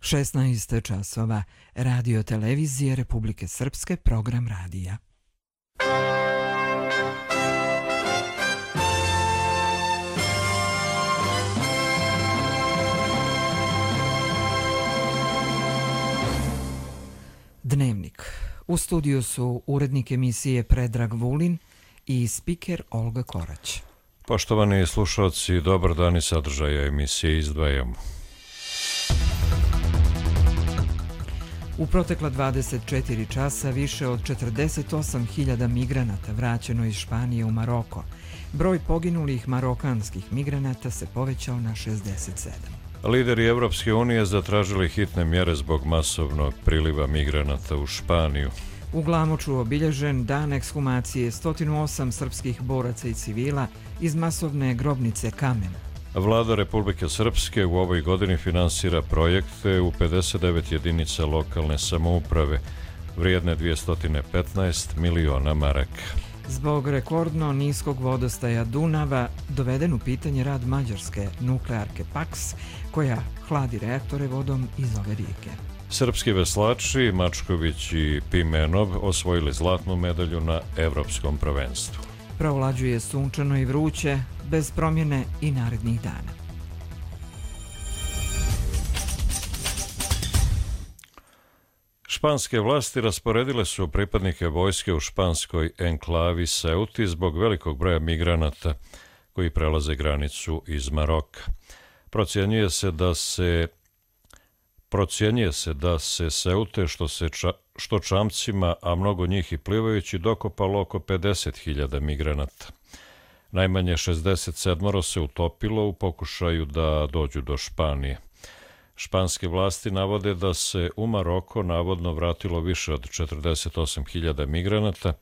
16 časova. Radio televizije Republike Srpske, program radija. Dnevnik. U studiju su urednik emisije Predrag Vulin i spiker Olga Korać. Poštovani slušalci, dobar dan i sadržaja emisije izdvajamo. U protekla 24 časa više od 48.000 migranata vraćeno iz Španije u Maroko. Broj poginulih marokanskih migranata se povećao na 67. Lideri Evropske unije zatražili hitne mjere zbog masovnog priliva migranata u Španiju. U Glamoču obilježen dan ekshumacije 108 srpskih boraca i civila iz masovne grobnice Kamen. Vlada Republike Srpske u ovoj godini finansira projekte u 59 jedinica lokalne samouprave, vrijedne 215 miliona maraka. Zbog rekordno niskog vodostaja Dunava doveden u pitanje rad mađarske nuklearke Paks, koja hladi reaktore vodom iz ove rijeke. Srpski veslači Mačković i Pimenov osvojili zlatnu medalju na Evropskom prvenstvu. Provlađuje sunčano i vruće, bez promjene i narednih dana. Španske vlasti rasporedile su pripadnike vojske u španskoj enklavi Ceuti zbog velikog broja migranata koji prelaze granicu iz Maroka. Procjenjuje se da se Ceute, što čamcima, a mnogo njih i plivajući, dokopalo oko 50.000 migranata. Najmanje 67 se utopilo u pokušaju da dođu do Španije. Španske vlasti navode da se u Maroko navodno vratilo više od 48.000 migranata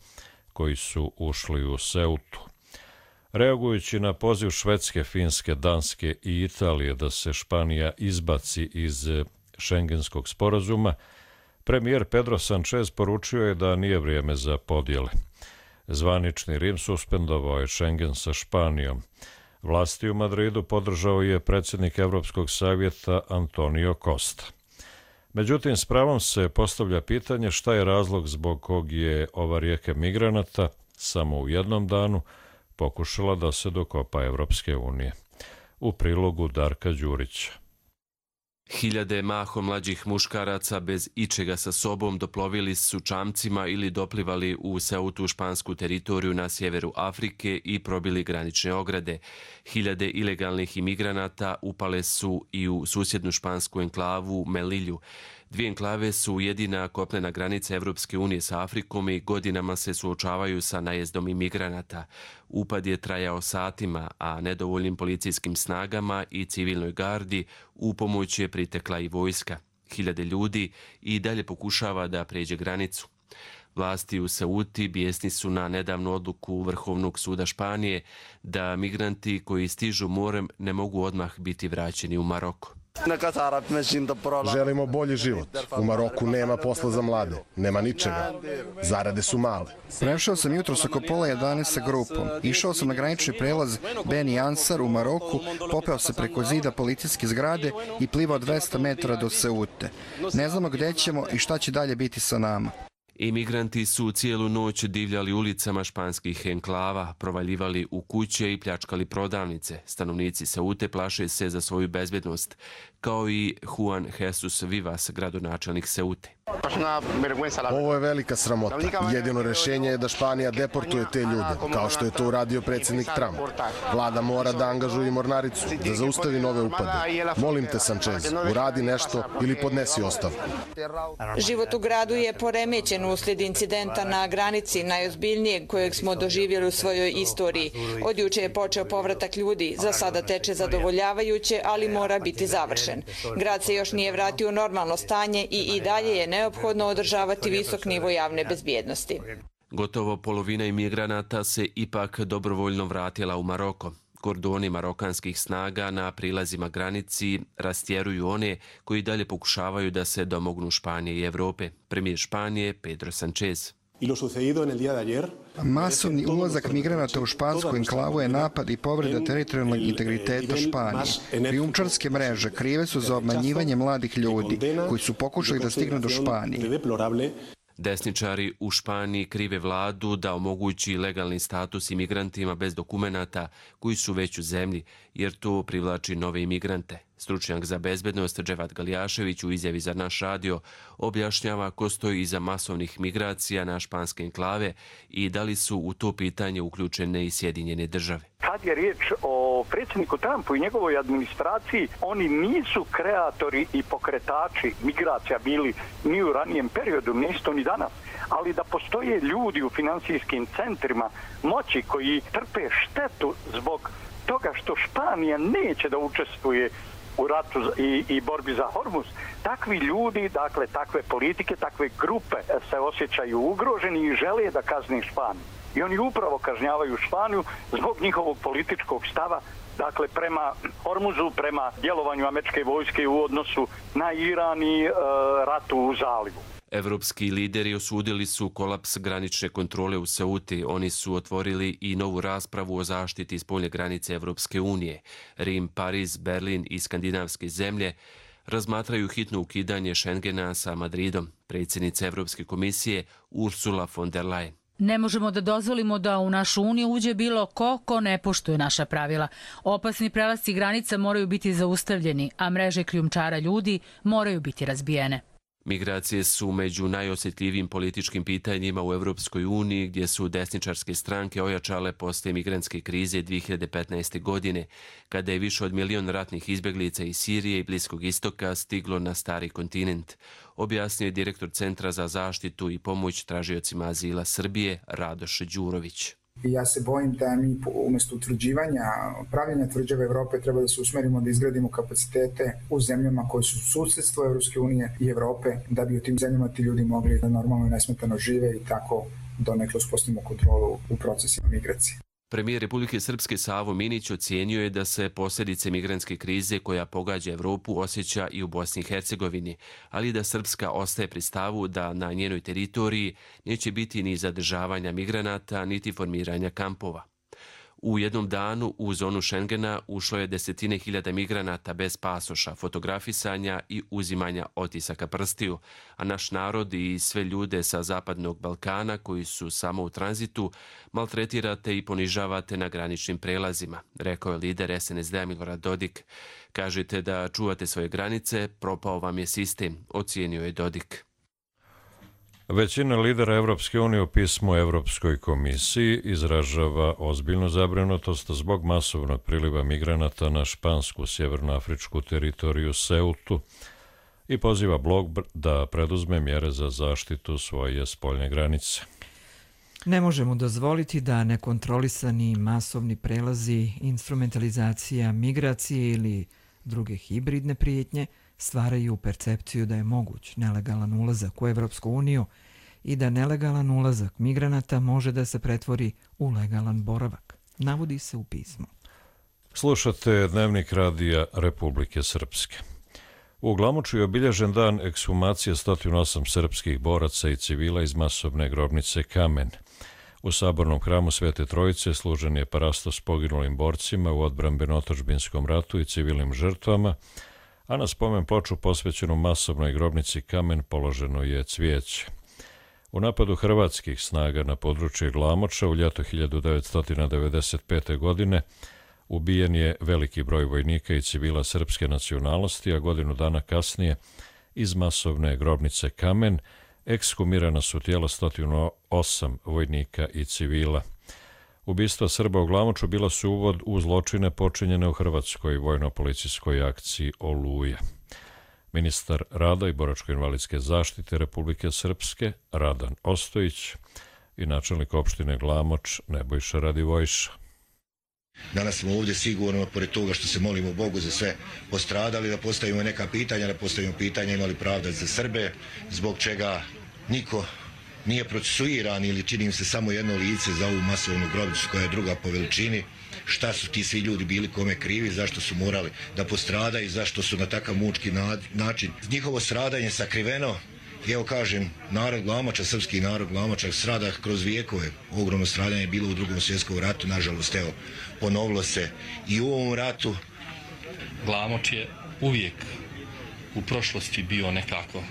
koji su ušli u Ceutu. Reagujući na poziv Švedske, Finske, Danske i Italije da se Španija izbaci iz Šengenskog sporazuma, premijer Pedro Sanchez poručio je da nije vrijeme za podjele. Zvanični Rim suspendovao je Šengen sa Španijom. Vlasti u Madridu podržao je predsjednik Evropskog savjeta Antonio Costa. Međutim, s pravom se postavlja pitanje šta je razlog zbog kog je ova rijeka migranata samo u jednom danu pokušala da se dokopa Evropske unije. U prilogu Darka Đurića. Hiljade mahom mlađih muškaraca bez ičega sa sobom doplovili su čamcima ili doplivali u Ceutu, špansku teritoriju na sjeveru Afrike, i probili granične ograde. Hiljade ilegalnih imigranata upale su i u susjednu špansku enklavu Melilju. Dvije enklave su jedina kopnena granica Evropske unije sa Afrikom i godinama se suočavaju sa najezdom imigranata. Upad je trajao satima, a nedovoljnim policijskim snagama i civilnoj gardi u pomoć je pritekla i vojska. Hiljade ljudi i dalje pokušava da pređe granicu. Vlasti u Ceuti bijesni su na nedavnu odluku Vrhovnog suda Španije da migranti koji stižu morem ne mogu odmah biti vraćeni u Maroko. Želimo bolji život. U Maroku nema posla za mlade. Nema ničega. Zarade su male. Prešao sam jutros oko pola 11 sa grupom. Išao sam na granični prelaz Beni Ansar u Maroku, popeo se preko zida policijske zgrade i plivao 200 metara do Ceute. Ne znamo gdje ćemo i šta će dalje biti sa nama. Imigranti su cijelu noć divljali ulicama španskih enklava, provaljivali u kuće i pljačkali prodavnice. Stanovnici Ceute plaše se za svoju bezbjednost, kao i Juan Jesus Vivas, gradonačelnik Ceute. Ovo je velika sramota. Jedino rješenje je da Španija deportuje te ljude, kao što je to uradio predsjednik Trump. Vlada mora da angažuje mornaricu, da zaustavi nove upade. Molim te, Sanchez, uradi nešto ili podnesi ostavku. Život u gradu je poremećen uslijed incidenta na granici, najozbiljnijeg kojeg smo doživjeli u svojoj istoriji. Od juče je počeo povratak ljudi, za sada teče zadovoljavajuće, ali mora biti završen. Grad se još nije vratio u normalno stanje i dalje je neophodno održavati visok nivo javne bezbjednosti. Gotovo polovina imigranata se ipak dobrovoljno vratila u Maroko. Kordoni marokanskih snaga na prilazima granici rastjeruju one koji dalje pokušavaju da se domognu Španije i Evrope. Premijer Španije Pedro Sanchez. Masovni ulazak migranata u špansku enklavu je napad i povreda teritorijalnog integriteta Španije. Krijumčarske mreže krive su za obmanjivanje mladih ljudi koji su pokušali da stignu do Španije. Desničari u Španiji krive vladu da omogući legalni status imigrantima bez dokumenata koji su već u zemlji, jer to privlači nove imigrante. Stručnjak za bezbednost Dževat Galjašević u izjavi za naš radio objašnjava ko stoji iza masovnih migracija na španske enklave i da li su u to pitanje uključene i Sjedinjene države. Kad je riječ o predsjedniku Trumpu i njegovoj administraciji, oni nisu kreatori i pokretači migracija bili ni u ranijem periodu, nisu ni danas. Ali da postoje ljudi u finansijskim centrima moći koji trpe štetu zbog toga što Španija neće da učestvuje u ratu i borbi za Hormuz, takvi ljudi, dakle takve politike, takve grupe se osjećaju ugroženi i žele da kazne Španiju. I oni upravo kažnjavaju Španiju zbog njihovog političkog stava, dakle prema Hormuzu, prema djelovanju američke vojske u odnosu na Iran i ratu u zalivu. Evropski lideri osudili su kolaps granične kontrole u Ceuti. Oni su otvorili i novu raspravu o zaštiti spoljne granice Evropske unije. Rim, Pariz, Berlin i skandinavske zemlje razmatraju hitno ukidanje Schengena sa Madridom. Predsjednica Evropske komisije Ursula von der Leyen. Ne možemo da dozvolimo da u našu uniju uđe bilo ko ne poštuje naša pravila. Opasni prelasci granica moraju biti zaustavljeni, a mreže krijumčara ljudi moraju biti razbijene. Migracije su među najosjetljivijim političkim pitanjima u Evropskoj uniji, gdje su desničarske stranke ojačale posle migrantske krize 2015. godine, kada je više od 1 milion ratnih izbjeglica iz Sirije i Bliskog istoka stiglo na stari kontinent, objasnio je direktor Centra za zaštitu i pomoć tražiocima azila Srbije, Radoš Đurović. Ja se bojim da mi umjesto utvrđivanja, pravljenja tvrđave Evrope treba da se usmerimo da izgradimo kapacitete u zemljama koje su susjedstvo Evropske unije i Evrope, da bi u tim zemljama ti ljudi mogli da normalno i nesmetano žive i tako donekle uspostavimo kontrolu u procesima migracije. Premijer Republike Srpske Savo Minić ocijenio je da se posljedice migrantske krize koja pogađa Evropu osjeća i u Bosni i Hercegovini, ali da Srpska ostaje pri stavu da na njenoj teritoriji neće biti ni zadržavanja migranata, niti formiranja kampova. U jednom danu u zonu Schengena ušlo je 10.000 migranata bez pasoša, fotografisanja i uzimanja otisaka prstiju, a naš narod i sve ljude sa Zapadnog Balkana koji su samo u tranzitu maltretirate i ponižavate na graničnim prelazima, rekao je lider SNSD-a Milorad Dodik. Kažete da čuvate svoje granice, propao vam je sistem, ocijenio je Dodik. Većina lidera Evropske unije u pismu Evropskoj komisiji izražava ozbiljnu zabrinutost zbog masovnog priliva migranata na špansku sjevernoafričku teritoriju Ceutu i poziva blok da preduzme mjere za zaštitu svoje spoljne granice. Ne možemo dozvoliti da nekontrolisani masovni prelazi, instrumentalizacija migracije ili druge hibridne prijetnje stvaraju percepciju da je moguć nelegalan ulazak u Evropsku uniju i da nelegalan ulazak migranata može da se pretvori u legalan boravak, navodi se u pismu. Slušate Dnevnik radija Republike Srpske. U Glamoču je obilježen dan ekshumacije 108 srpskih boraca i civila iz masovne grobnice Kamen. U sabornom hramu Svete Trojice služen je parastos poginulim borcima u odbrambeno-otadžbinskom ratu i civilnim žrtvama, a na spomen ploču posvećenu masovnoj grobnici Kamen položeno je cvijeće. U napadu hrvatskih snaga na područje Glamoča u ljeto 1995. godine ubijen je veliki broj vojnika i civila srpske nacionalnosti, a godinu dana kasnije iz masovne grobnice Kamen ekshumirana su tijela 108 vojnika i civila. Ubistva Srba u Glamoču bila su uvod u zločine počinjene u hrvatskoj vojno-policijskoj akciji Oluja. Ministar rada i boračko-invalidske zaštite Republike Srpske Radan Ostojić i načelnik opštine Glamoč Nebojša Radivojša. Danas smo ovdje sigurno, pored toga što se molimo Bogu za sve postradali, da postavimo neka pitanja, da postavimo pitanja imali pravda za Srbe, zbog čega niko nije procesuiran ili čini im se samo jedno lice za ovu masovnu grobnicu koja je druga po veličini. Šta su ti svi ljudi bili kome krivi, zašto su morali da postradaju, zašto su na takav mučki način. Njihovo stradanje sakriveno I evo kažem, narod Glamoča, srpski narod Glamoča strada kroz vijekove. Ogromno stradanje je bilo u Drugom svjetskom ratu, nažalost, evo, ponovilo se i u ovom ratu. Glamoč je uvijek u prošlosti bio nekako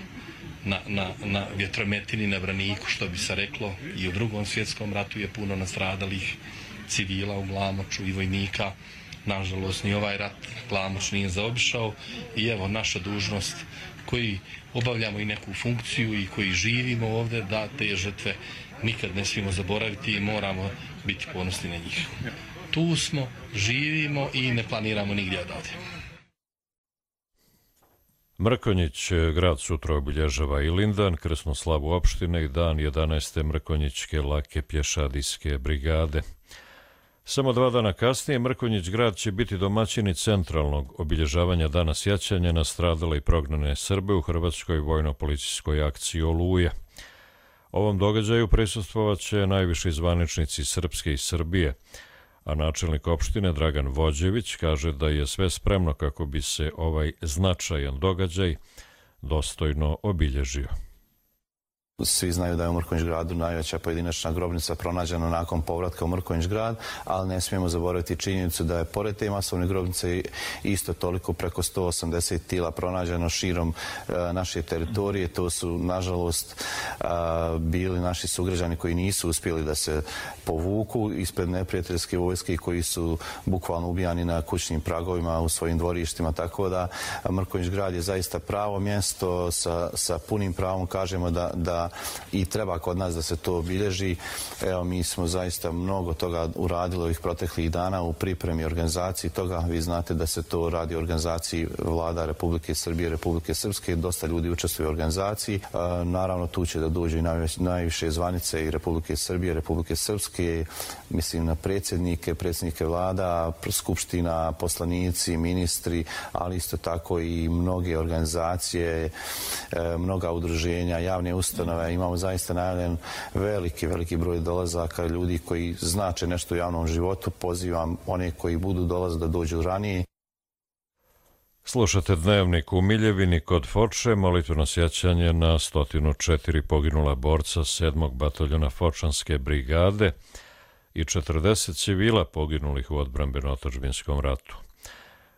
na vjetrometini, na braniku, što bi se reklo. I u Drugom svjetskom ratu je puno nastradalih civila u Glamoču i vojnika. Nažalost, ni ovaj rat Glamoč nije zaobišao i evo naša dužnost koji obavljamo i neku funkciju i koji živimo ovdje, da te žrtve nikad ne smijemo zaboraviti i moramo biti ponosni na njih. Tu smo, živimo i ne planiramo nigdje odavde. Mrkonjić grad sutra obilježava i Lindan, krsnu slavu opštine i dan 11. Mrkonjićke lake pješadijske brigade. Samo 2 dana kasnije Mrkonjić grad će biti domaćini centralnog obilježavanja dana sjećanja na stradale i prognane Srbe u hrvatskoj vojno-policijskoj akciji Oluja. Ovom događaju prisustvovat će najviši zvaničnici Srpske i Srbije, a načelnik opštine Dragan Vođević kaže da je sve spremno kako bi se ovaj značajan događaj dostojno obilježio. Svi znaju da je u Mrkonjić gradu najveća pojedinačna grobnica pronađena nakon povratka u Mrkonjić grad, ali ne smijemo zaboraviti činjenicu da je pored te masovne grobnice isto toliko preko 180 tila pronađeno širom naše teritorije. To su, nažalost, bili naši sugrađani koji nisu uspjeli da se povuku ispred neprijateljske vojske i koji su bukvalno ubijani na kućnim pragovima u svojim dvorištima. Tako da Mrkonjić grad je zaista pravo mjesto, sa punim pravom kažemo da i treba kod nas da se to obilježi. Evo, mi smo zaista mnogo toga uradili ovih proteklih dana u pripremi i organizaciji toga. Vi znate da se to radi u organizaciji vlada Republike Srbije, Republike Srpske. Dosta ljudi učestvuje u organizaciji. Naravno, tu će da dođu i najviše zvanice i Republike Srbije, Republike Srpske, mislim na predsjednike vlada, skupština, poslanici, ministri, ali isto tako i mnoge organizacije, mnoga udruženja, javne ustanove. Imamo zaista najavljen veliki broj dolazaka ljudi koji znače nešto u javnom životu. Pozivam one koji budu dolaziti da dođu ranije. Slušate Dnevnik u Miljevini kod Foče, molitveno sjećanje na 104 poginula borca 7. bataljona Fočanske brigade i 40 civila poginulih u odbrambeno-otadžbinskom ratu.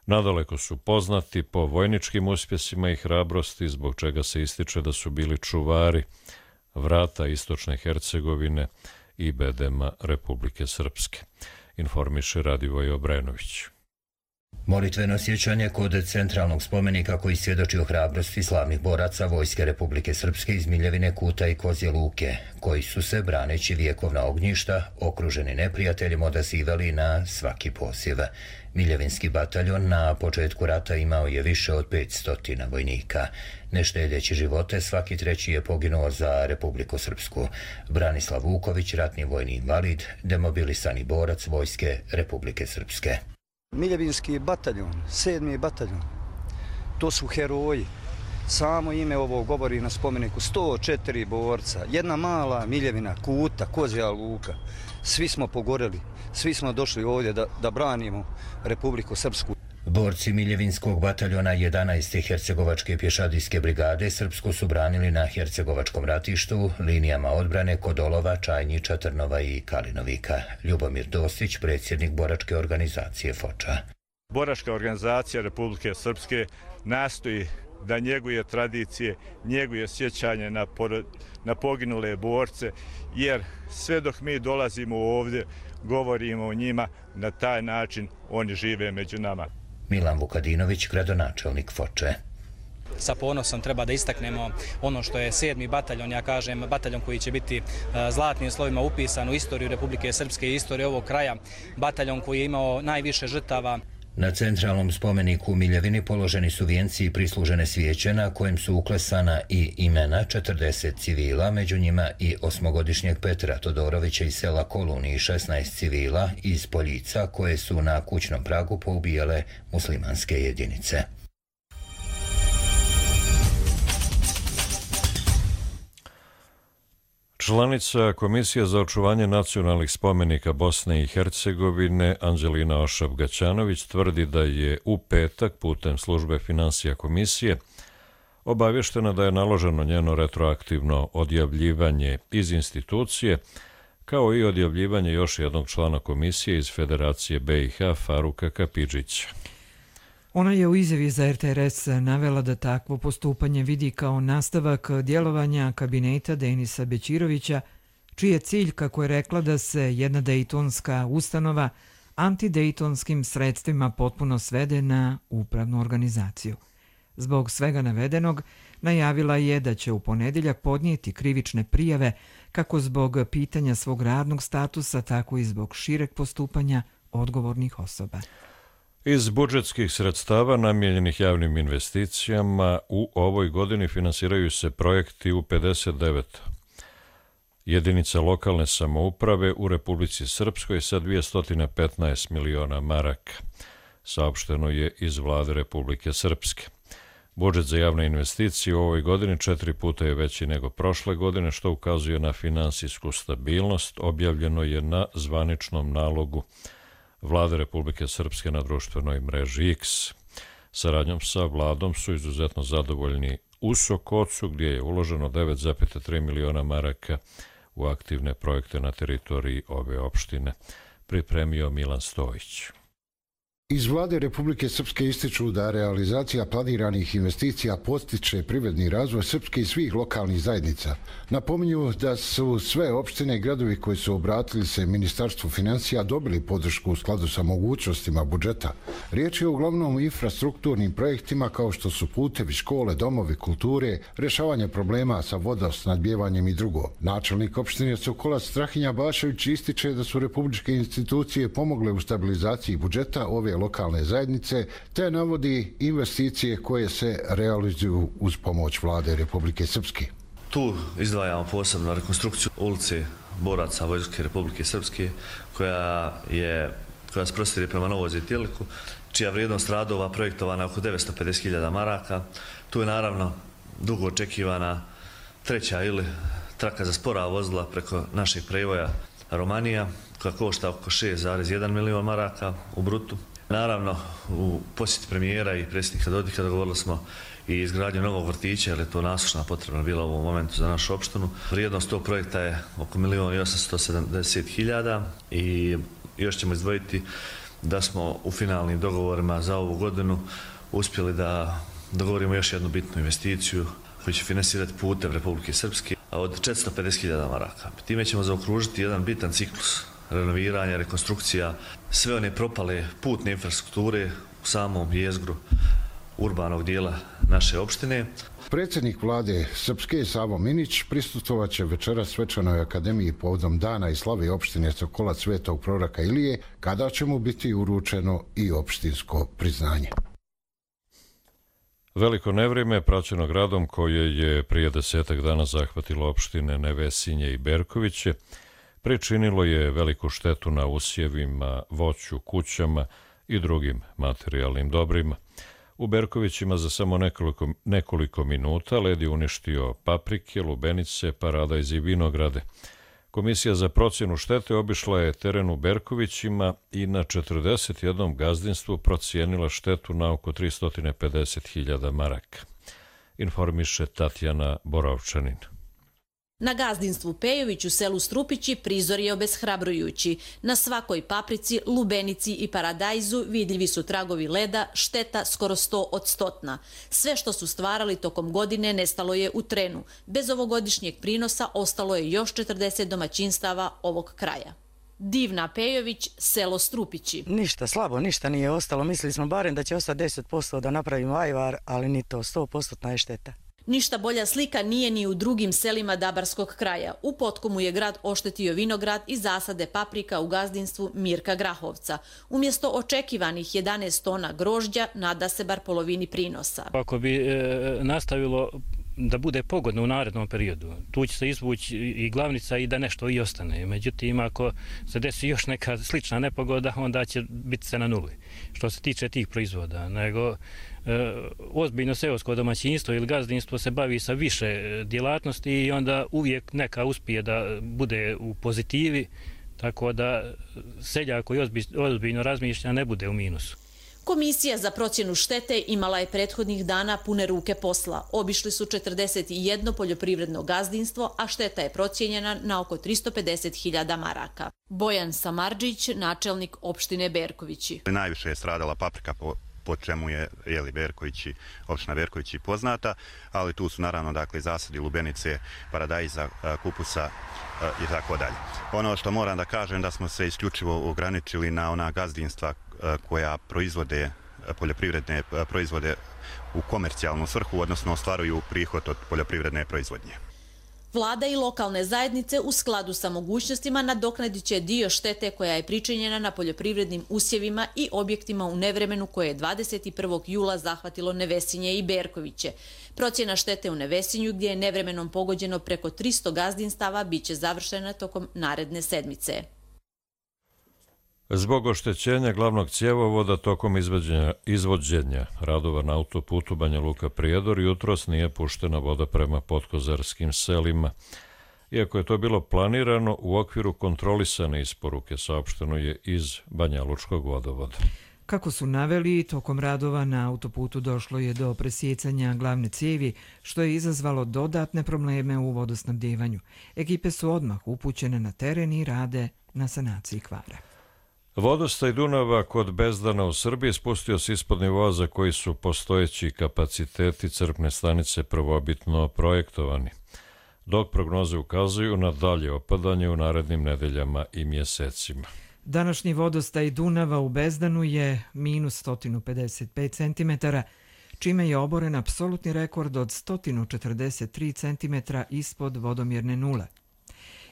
Nadaleko su poznati po vojničkim uspjesima i hrabrosti, zbog čega se ističe da su bili čuvari vrata istočne Hercegovine i bedema Republike Srpske, informiše Radivoj Obrenović. Molitveno sjećanje kod centralnog spomenika koji svjedoči o hrabrosti slavnih boraca Vojske Republike Srpske iz Miljevine, Kuta i Kozje Luke, koji su se, braneći vjekovna ognjišta, okruženi neprijateljem, odazivali na svaki poziv. Miljevinski bataljon na početku rata imao je više od 500 vojnika. Ne štedeći živote, svaki treći je poginuo za Republiku Srpsku. Branislav Vuković, ratni vojni invalid, demobilisani borac Vojske Republike Srpske. Miljevinski bataljon, 7. bataljon, to su heroji. Samo ime ovo govori na spomeniku. 104 borca, jedna mala Miljevina, Kuta, Kozja Luka. Svi smo pogoreli, svi smo došli ovdje da branimo Republiku Srpsku. Borci Miljevinskog bataljona 11. Hercegovačke pješadijske brigade Srpsku su branili na Hercegovačkom ratištu, linijama odbrane kod Olova, Čajnjića, Trnova i Kalinovika. Ljubomir Dostić, predsjednik boračke organizacije Foča. Boračka organizacija Republike Srpske nastoji da njeguje tradicije, njeguje sjećanje na poginule borce, jer sve dok mi dolazimo ovdje, govorimo o njima, na taj način oni žive među nama. Milan Vukadinović, gradonačelnik Foče. Sa ponosom treba da istaknemo ono što je 7. bataljon, ja kažem, bataljon koji će biti zlatnim slovima upisan u istoriju Republike Srpske i istoriju ovog kraja, bataljon koji je imao najviše žrtava. Na centralnom spomeniku u Miljevini položeni su vijenci i prislužene svijeće na kojem su uklesana i imena 40 civila, među njima i 8-godišnjeg Petra Todorovića iz sela Koluni i 16 civila iz Poljica koje su na kućnom pragu poubijale muslimanske jedinice. Članica Komisije za očuvanje nacionalnih spomenika Bosne i Hercegovine Anđelina Ošab-Gaćanović tvrdi da je u petak putem službe finansija komisije obavještena da je naloženo njeno retroaktivno odjavljivanje iz institucije, kao i odjavljivanje još jednog člana komisije iz Federacije BiH Faruka Kapidžića. Ona je u izjavi za RTRS navela da takvo postupanje vidi kao nastavak djelovanja kabineta Denisa Bećirovića, čiji je cilj, kako je rekla, da se jedna dejtonska ustanova antidejtonskim sredstvima potpuno svede na upravnu organizaciju. Zbog svega navedenog, najavila je da će u ponedjeljak podnijeti krivične prijave kako zbog pitanja svog radnog statusa, tako i zbog šireg postupanja odgovornih osoba. Iz budžetskih sredstava namijenjenih javnim investicijama u ovoj godini finansiraju se projekti u 59 jedinica lokalne samouprave u Republici Srpskoj sa 215 miliona maraka, saopšteno je iz vlade Republike Srpske. Budžet za javne investicije u ovoj godini 4 puta je veći nego prošle godine, što ukazuje na finansijsku stabilnost, objavljeno je na zvaničnom nalogu vlade Republike Srpske na društvenoj mreži X. Saradnjom sa vladom su izuzetno zadovoljni u Sokocu, gdje je uloženo 9,3 miliona maraka u aktivne projekte na teritoriji ove opštine, pripremio Milan Stojić. Iz vlade Republike Srpske ističu da realizacija planiranih investicija postiče privredni razvoj Srpske i svih lokalnih zajednica. Napominju da su sve opštine i gradovi koji su obratili se Ministarstvu financija dobili podršku u skladu sa mogućnostima budžeta. Riječ je uglavnom o infrastrukturnim projektima kao što su putevi, škole, domovi kulture, rješavanje problema sa vodosnadbijevanjem i drugo. Načelnik opštine Sokolac Strahinja Bašević ističe da su republičke institucije pomogle u stabilizaciji budžeta ove lokalne zajednice, te navodi investicije koje se realizuju uz pomoć vlade Republike Srpske. Tu izdvajamo posebno rekonstrukciju ulice boraca Vojske Republike Srpske, koja se prostire prema Novoj Zitiliku, čija vrijednost radova projektovana oko 950.000 maraka. Tu je naravno dugo očekivana treća ili traka za spora vozila preko našeg prevoja Romanija, koja košta oko 6,1 milion maraka u brutu. Naravno, u posjeti premijera i predsjednika Dodika dogovorili smo i izgradnju novog vrtića, jer je to nasušna potrebna bila u ovom momentu za našu opštinu. Vrijednost tog projekta je oko 1.870.000 i još ćemo izdvojiti da smo u finalnim dogovorima za ovu godinu uspjeli da dogovorimo još jednu bitnu investiciju koju će finansirati putev Republike Srpske od 450.000 maraka. Time ćemo zaokružiti jedan bitan ciklus renoviranja, rekonstrukcija, sve one propale putne infrastrukture u samom jezgru urbanog dijela naše opštine. Predsjednik vlade Srpske Savo Minić prisustvovat će večeras svečanoj akademiji povodom dana i slave opštine Sokolac Svetog proroka Ilije, kada će mu biti uručeno i opštinsko priznanje. Veliko nevrijeme, praćeno gradom koje je prije 10 dana zahvatilo opštine Nevesinje i Berkoviće, pričinilo je veliku štetu na usjevima, voću, kućama i drugim materijalnim dobrima. U Berkovićima za samo nekoliko minuta led je uništio paprike, lubenice, paradajz i vinograde. Komisija za procjenu štete obišla je teren u Berkovićima i na 41 gazdinstvu procijenila štetu na oko 350.000 maraka. Informiše Tatjana Borovčanin. Na gazdinstvu Pejović u selu Strupići prizor je obeshrabrujući. Na svakoj paprici, lubenici i paradajzu vidljivi su tragovi leda, šteta skoro 100 od 100. Sve što su stvarali tokom godine nestalo je u trenu. Bez ovogodišnjeg prinosa ostalo je još 40 domaćinstava ovog kraja. Divna Pejović, selo Strupići. Ništa, slabo, ništa nije ostalo. Mislili smo barem da će ostati 10% da napravimo ajvar, ali ni to, 100% je šteta. Ništa bolja slika nije ni u drugim selima Dabarskog kraja. U Potkomu je grad oštetio vinograd i zasade paprika u gazdinstvu Mirka Grahovca. Umjesto očekivanih 11 tona grožđa, nada se bar polovini prinosa. Ako bi nastavilo da bude pogodno u narednom periodu, tu će se izvući i glavnica i da nešto i ostane. Međutim, ako se desi još neka slična nepogoda, onda će biti se na nuli. Što se tiče tih proizvoda, nego ozbiljno seosko domaćinstvo ili gazdinstvo se bavi sa više djelatnosti i onda uvijek neka uspije da bude u pozitivi, tako da seljak koji ozbiljno razmišlja ne bude u minusu. Komisija za procjenu štete imala je prethodnih dana pune ruke posla. Obišli su 41 poljoprivredno gazdinstvo, a šteta je procijenjena na oko 350.000 maraka. Bojan Samardžić, načelnik opštine Berkovići. Najviše je stradala paprika, po čemu je opština Berkovići poznata, ali tu su naravno dakle zasadi lubenice, paradajza, kupusa i tako dalje. Ono što moram da kažem da smo se isključivo ograničili na ona gazdinstva koja proizvode poljoprivredne proizvode u komercijalnu svrhu, odnosno ostvaruju prihod od poljoprivredne proizvodnje. Vlada i lokalne zajednice u skladu sa mogućnostima nadoknadit će dio štete koja je pričinjena na poljoprivrednim usjevima i objektima u nevremenu koje je 21. jula zahvatilo Nevesinje i Berkoviće. Procjena štete u Nevesinju, gdje je nevremenom pogođeno preko 300 gazdinstava, biće završena tokom naredne sedmice. Zbog oštećenja glavnog cjevovoda tokom izvođenja radova na autoputu Banja Luka-Prijedor jutros nije puštena voda prema podkozarskim selima. Iako je to bilo planirano, u okviru kontrolisane isporuke saopšteno je iz Banjalučkog vodovoda. Kako su naveli, tokom radova na autoputu došlo je do presjecanja glavne cijevi, što je izazvalo dodatne probleme u vodosnabdjevanju. Ekipe su odmah upućene na teren i rade na sanaciji kvara. Vodostaj Dunava kod Bezdana u Srbiji spustio se ispod nivoa za koji su postojeći kapaciteti crpne stanice prvobitno projektovani, dok prognoze ukazuju na dalje opadanje u narednim nedeljama i mjesecima. Današnji vodostaj Dunava u Bezdanu je minus 155 cm, čime je oboren apsolutni rekord od 143 cm ispod vodomjerne nule.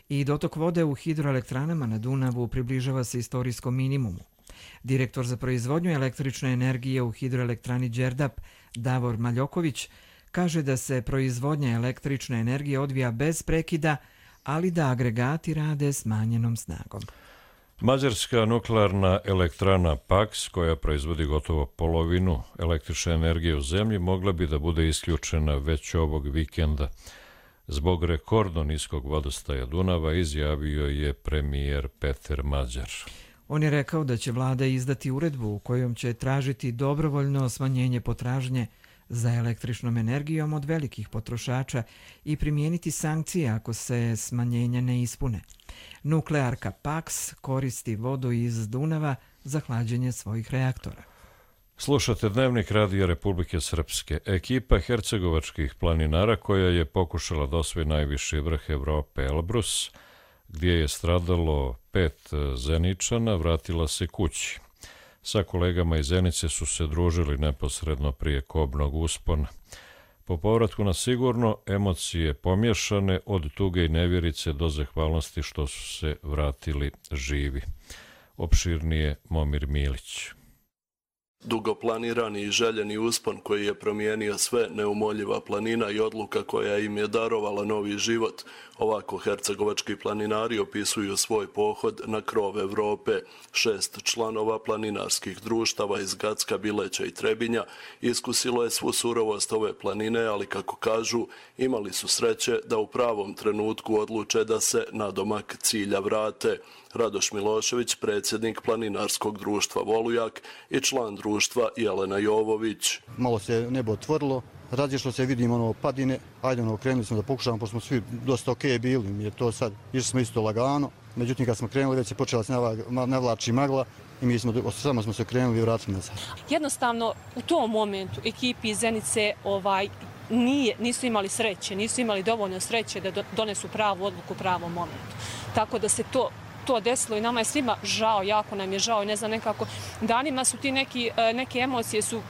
I dotok vode u hidroelektranama na Dunavu približava se istorijskom minimumu. Direktor za proizvodnju električne energije u hidroelektrani Đerdap, Davor Maljoković, kaže da se proizvodnja električne energije odvija bez prekida, ali da agregati rade smanjenom snagom. Mađarska nuklearna elektrana Paks, koja proizvodi gotovo polovinu električne energije u zemlji, mogla bi da bude isključena već ovog vikenda. Zbog rekordno niskog vodostaja Dunava, izjavio je premijer Peter Mađar. On je rekao da će vlada izdati uredbu u kojom će tražiti dobrovoljno smanjenje potražnje za električnom energijom od velikih potrošača i primijeniti sankcije ako se smanjenja ne ispune. Nuklearka Paks koristi vodu iz Dunava za hlađenje svojih reaktora. Slušate Dnevnik Radija Republike Srpske. Ekipa hercegovačkih planinara koja je pokušala da osvoji najviši vrh Evrope Elbrus, gdje je stradalo 5 Zeničana, vratila se kući. Sa kolegama iz Zenice su se družili neposredno prije kobnog uspona. Po povratku na sigurno, emocije pomješane od tuge i nevjerice do zahvalnosti što su se vratili živi. Opširnije Momir Milić. Dugo planirani i željeni uspon koji je promijenio sve, neumoljiva planina i odluka koja im je darovala novi život. Ovako hercegovački planinari opisuju svoj pohod na krov Evrope. 6 članova planinarskih društava iz Gacka, Bileća i Trebinja iskusilo je svu surovost ove planine, ali kako kažu, imali su sreće da u pravom trenutku odluče da se nadomak cilja vrate. Radoš Milošević, predsjednik planinarskog društva Volujak i član društva Jelena Jovović. Malo se nebo otvorilo, različno se vidimo padine, ajde krenuli smo da pokušamo, pošto smo svi dosta okej bili, jer to sad, išli smo isto lagano, međutim kad smo krenuli već je počela se navlači magla i mi samo smo se okrenuli i vratili nazad. Jednostavno u tom momentu ekipi iz Zenice nisu imali sreće, nisu imali dovoljno sreće da donesu pravu odluku u pravom momentu. Tako da se to desilo i nama je svima žao, jako nam je žao i ne znam, nekako danima su ti neke emocije su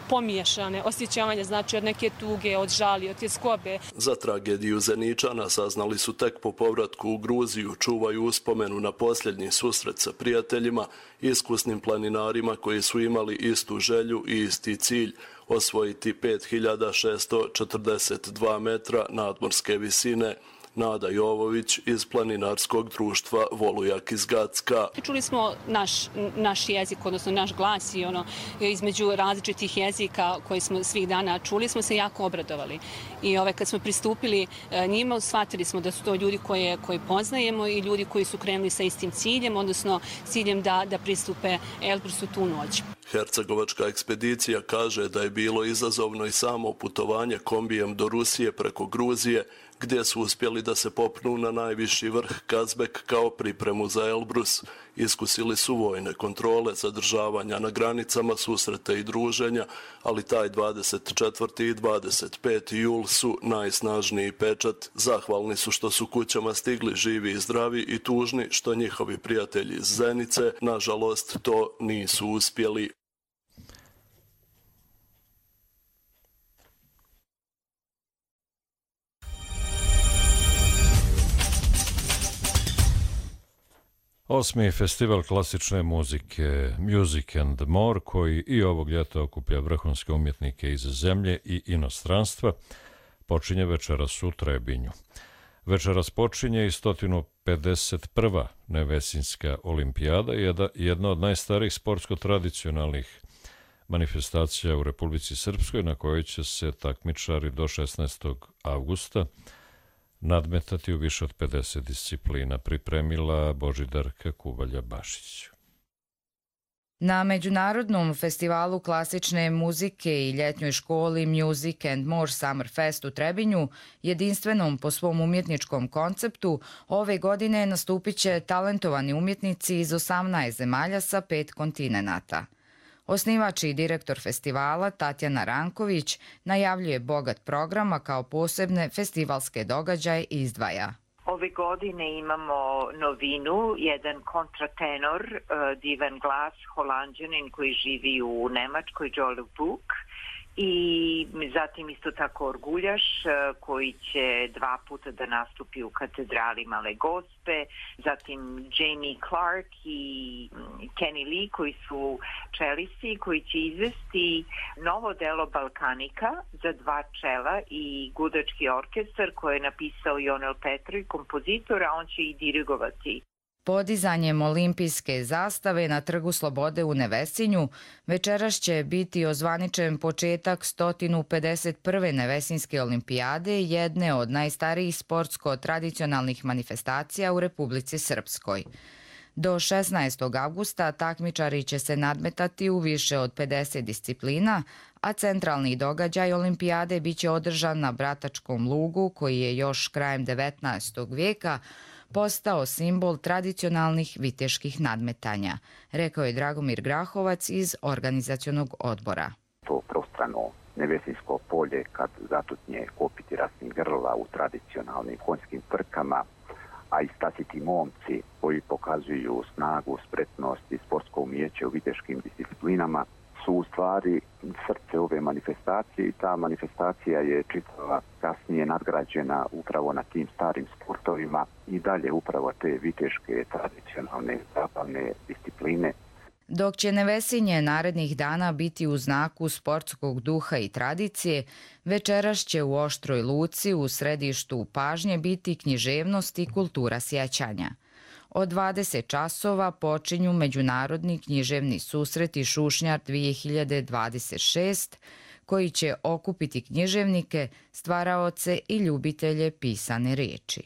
pomiješane, osjećanje, znači od neke tuge, od žali, od tjeskobe. Za tragediju Zeničana saznali su tek po povratku u Gruziju, čuvaju uspomenu na posljednji susret sa prijateljima, iskusnim planinarima koji su imali istu želju i isti cilj, osvojiti 5642 metra nadmorske visine. Nada Jovović iz planinarskog društva Volujak iz Gacka. Čuli smo naš jezik, odnosno naš glas i između različitih jezika koje smo svih dana čuli, smo se jako obradovali. I kad smo pristupili njima, shvatili smo da su to ljudi koje poznajemo i ljudi koji su krenuli sa istim ciljem, odnosno ciljem da pristupe Elbrusu tu noć. Hercegovačka ekspedicija kaže da je bilo izazovno i samo putovanje kombijem do Rusije preko Gruzije, gdje su uspjeli da se popnu na najviši vrh Kazbek kao pripremu za Elbrus. Iskusili su vojne kontrole, zadržavanja na granicama, susrete i druženja, ali taj 24. i 25. jul su najsnažniji pečat. Zahvalni su što su kućama stigli živi i zdravi i tužni što njihovi prijatelji iz Zenice, nažalost, to nisu uspjeli. Osmi festival klasične muzike Music and More, koji i ovog ljeta okuplja vrhunske umjetnike iz zemlje i inostranstva, počinje večeras u Trebinju. Večeras počinje i 151. Nevesinjska olimpijada, jedna od najstarijih sportsko-tradicionalnih manifestacija u Republici Srpskoj, na kojoj će se takmičari do 16. avgusta nadmetati u više od 50 disciplina, pripremila Božidarka Kubalja-Bašić. Na Međunarodnom festivalu klasične muzike i ljetnjoj školi Music and More Summer Fest u Trebinju, jedinstvenom po svom umjetničkom konceptu, ove godine nastupit će talentovani umjetnici iz 18 zemalja sa 5 kontinenata. Osnivač i direktor festivala Tatjana Ranković najavljuje bogat programa kao posebne festivalske događaje i izdvaja. Ove godine imamo novinu, jedan kontratenor, divan glas, Holanđanin koji živi u Nemačkoj, Joel Buk, i zatim isto tako orguljaš koji će 2 puta da nastupi u katedrali Male Gospe, zatim Jamie Clark i Kenny Lee koji su čelisti koji će izvesti novo delo Balkanika za 2 čela i gudački orkestar koji je napisao Jonel Petroj, kompozitor, a on će i dirigovati. Podizanjem olimpijske zastave na Trgu Slobode u Nevesinju večeras će biti ozvaničen početak 151. Nevesinjske olimpijade, jedne od najstarijih sportsko-tradicionalnih manifestacija u Republici Srpskoj. Do 16. avgusta takmičari će se nadmetati u više od 50 disciplina, a centralni događaj olimpijade biće održan na Bratačkom lugu, koji je još krajem 19. vijeka postao simbol tradicionalnih viteških nadmetanja, rekao je Dragomir Grahovac iz organizacionog odbora. To prostrano Nevesinjsko polje kad zatutnje kopiti rasnih grla u tradicionalnim konjskim trkama, a i stasiti momci koji pokazuju snagu, spretnost i sportsko umijeće u viteškim disciplinama su u stvari srce ove manifestacije i ta manifestacija je čitava kasnije nadgrađena upravo na tim starim sportovima i dalje upravo te viteške tradicionalne zabavne discipline. Dok će Nevesinje narednih dana biti u znaku sportskog duha i tradicije, večeras će u Oštroj Luci u središtu pažnje biti književnost i kultura sjećanja. Od 20 časova počinju Međunarodni književni susreti Šušnjar 2026, koji će okupiti književnike, stvaraoce i ljubitelje pisane riječi.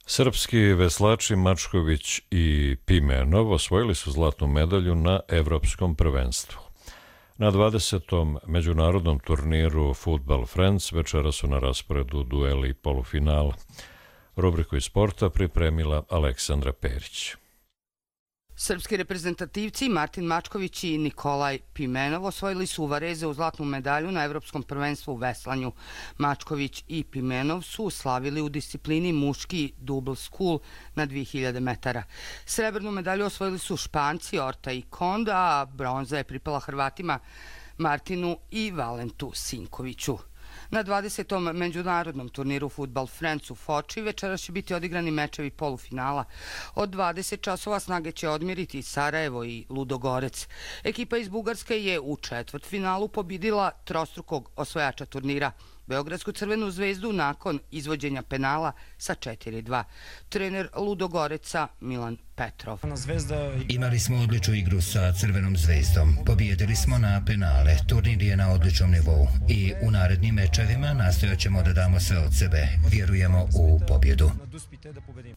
Srpski veslači Mačković i Pimenov osvojili su zlatnu medalju na Evropskom prvenstvu. Na 20. međunarodnom turniru Football Friends večera su na rasporedu dueli i polufinala. Rubriku iz sporta pripremila Aleksandra Perić. Srpski reprezentativci Martin Mačković i Nikolaj Pimenov osvojili su u Varezu zlatnu medalju na Evropskom prvenstvu u veslanju. Mačković i Pimenov su slavili u disciplini muški double school na 2000 metara. Srebrnu medalju osvojili su Španci Orta i Konda, a bronza je pripala Hrvatima Martinu i Valentu Sinkoviću. Na 20. međunarodnom turniru Football Friends u Foči večeras će biti odigrani mečevi polufinala. Od 20 časova snage će odmiriti Sarajevo i Ludogorec. Ekipa iz Bugarske je u četvrtfinalu pobjedila trostrukog osvojača turnira, Beogradsku Crvenu zvezdu, nakon izvođenja penala sa 4-2. Trener Ludogoreca Milan Petrov. Imali smo odličnu igru sa Crvenom zvezdom. Pobijedili smo na penale. Turnir je na odličnom nivou. I u narednim mečevima nastojat ćemo da damo sve od sebe. Vjerujemo u pobjedu.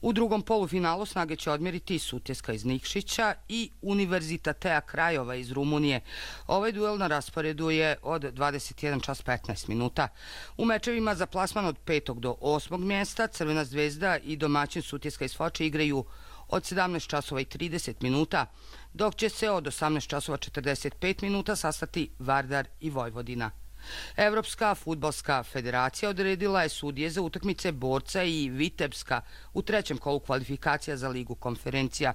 U drugom polufinalu snage će odmjeriti Sutjeska iz Nikšića i Univerzitatea Krajova iz Rumunije. Ovaj duel na rasporedu je od 21 čas 15 minuta. U mečevima za plasman od 5. do 8. mjesta Crvena zvezda i domaćin Sutjeska iz Foče igraju od 17 časova i 30 minuta, dok će se od 18 časova 45 minuta sastati Vardar i Vojvodina. Evropska fudbalska federacija odredila je sudije za utakmice Borca i Vitebska u trećem kolu kvalifikacija za Ligu konferencija.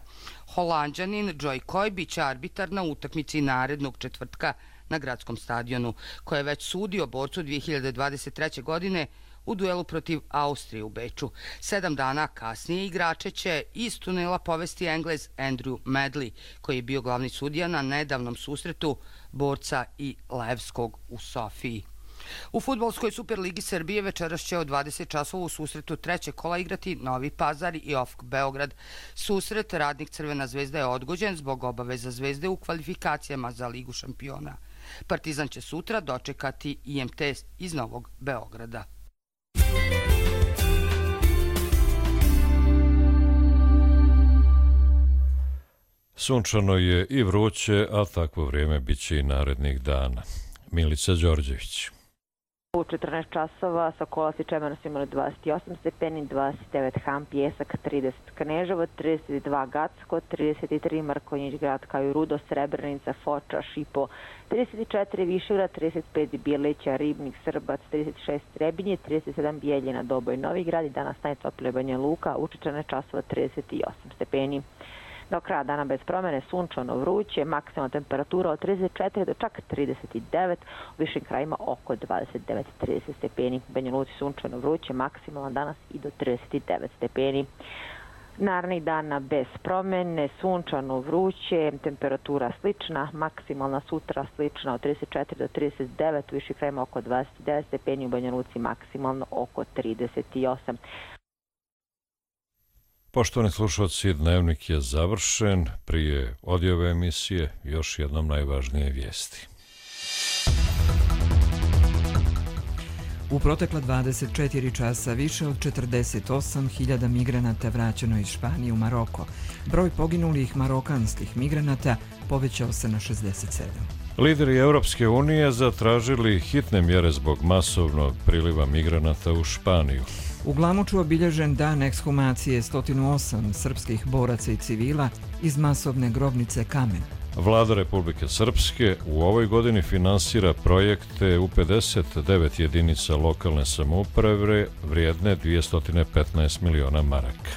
Holanđanin Joy Coy biće arbitar na utakmici narednog četvrtka na gradskom stadionu, koje je već sudio Borcu 2023. godine u duelu protiv Austrije u Beču. 7 dana kasnije igrače će iz tunela povesti Englez Andrew Medley, koji je bio glavni sudija na nedavnom susretu Borca i Levskog u Sofiji. U fudbalskoj Superligi Srbije večeras će od 20 časova u susretu trećeg kola igrati Novi Pazar i OFK Beograd. Susret Radnik Crvena zvezda je odgođen zbog obaveza Zvezde u kvalifikacijama za Ligu šampiona. Partizan će sutra dočekati IMT iz Novog Beograda. Sunčano je i vruće, a takvo vrijeme bit će i narednih dana. Milica Đorđević. U 14 časova Sokola i Čemer su imali 28 stepeni, 29 Ham, Pjesak, 30 Kneževo, 32 Gacko, 33 Mrkonjić Grad, kao i Rudo, Srebrenica, Foča, Šipo, 34 Višegrad, 35 Bijelića, Ribnik, Srbac, 36 Trebinje, 37 Bijeljina, Doboj, Novi Grad i danas najtoplije Banja Luka u 14 časova 38 stepeni. Do kraja dana bez promjene, sunčano, vruće, maksimalna temperatura od 34 do čak 39, u višim krajima oko 29-30 stepeni. Banja Luci sunčano, vruće, maksimalna danas i do 39 stepeni. Narednih dana bez promjene, sunčano, vruće, temperatura slična, maksimalna sutra slična od 34 do 39, u višim krajima oko 29 stepeni, u Banja Luci maksimalno oko 38. Poštovani slušalci, dnevnik je završen. Prije odjave emisije još jednom najvažnije vijesti. U protekla 24 časa više od 48.000 migranata vraćeno iz Španije u Maroko. Broj poginulih marokanskih migranata povećao se na 67. Lideri Europske unije zatražili hitne mjere zbog masovnog priliva migranata u Španiju. U Glamuču obilježen dan ekshumacije 108 srpskih boraca i civila iz masovne grobnice Kamen. Vlada Republike Srpske u ovoj godini finansira projekte u 59 jedinica lokalne samouprave vrijedne 215 miliona maraka.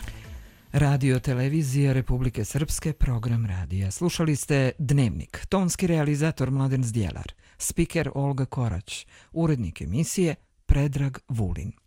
Radio televizija Republike Srpske, program radija. Slušali ste Dnevnik, tonski realizator Mladen Zdjelar, spiker Olga Korać, urednik emisije Predrag Vulin.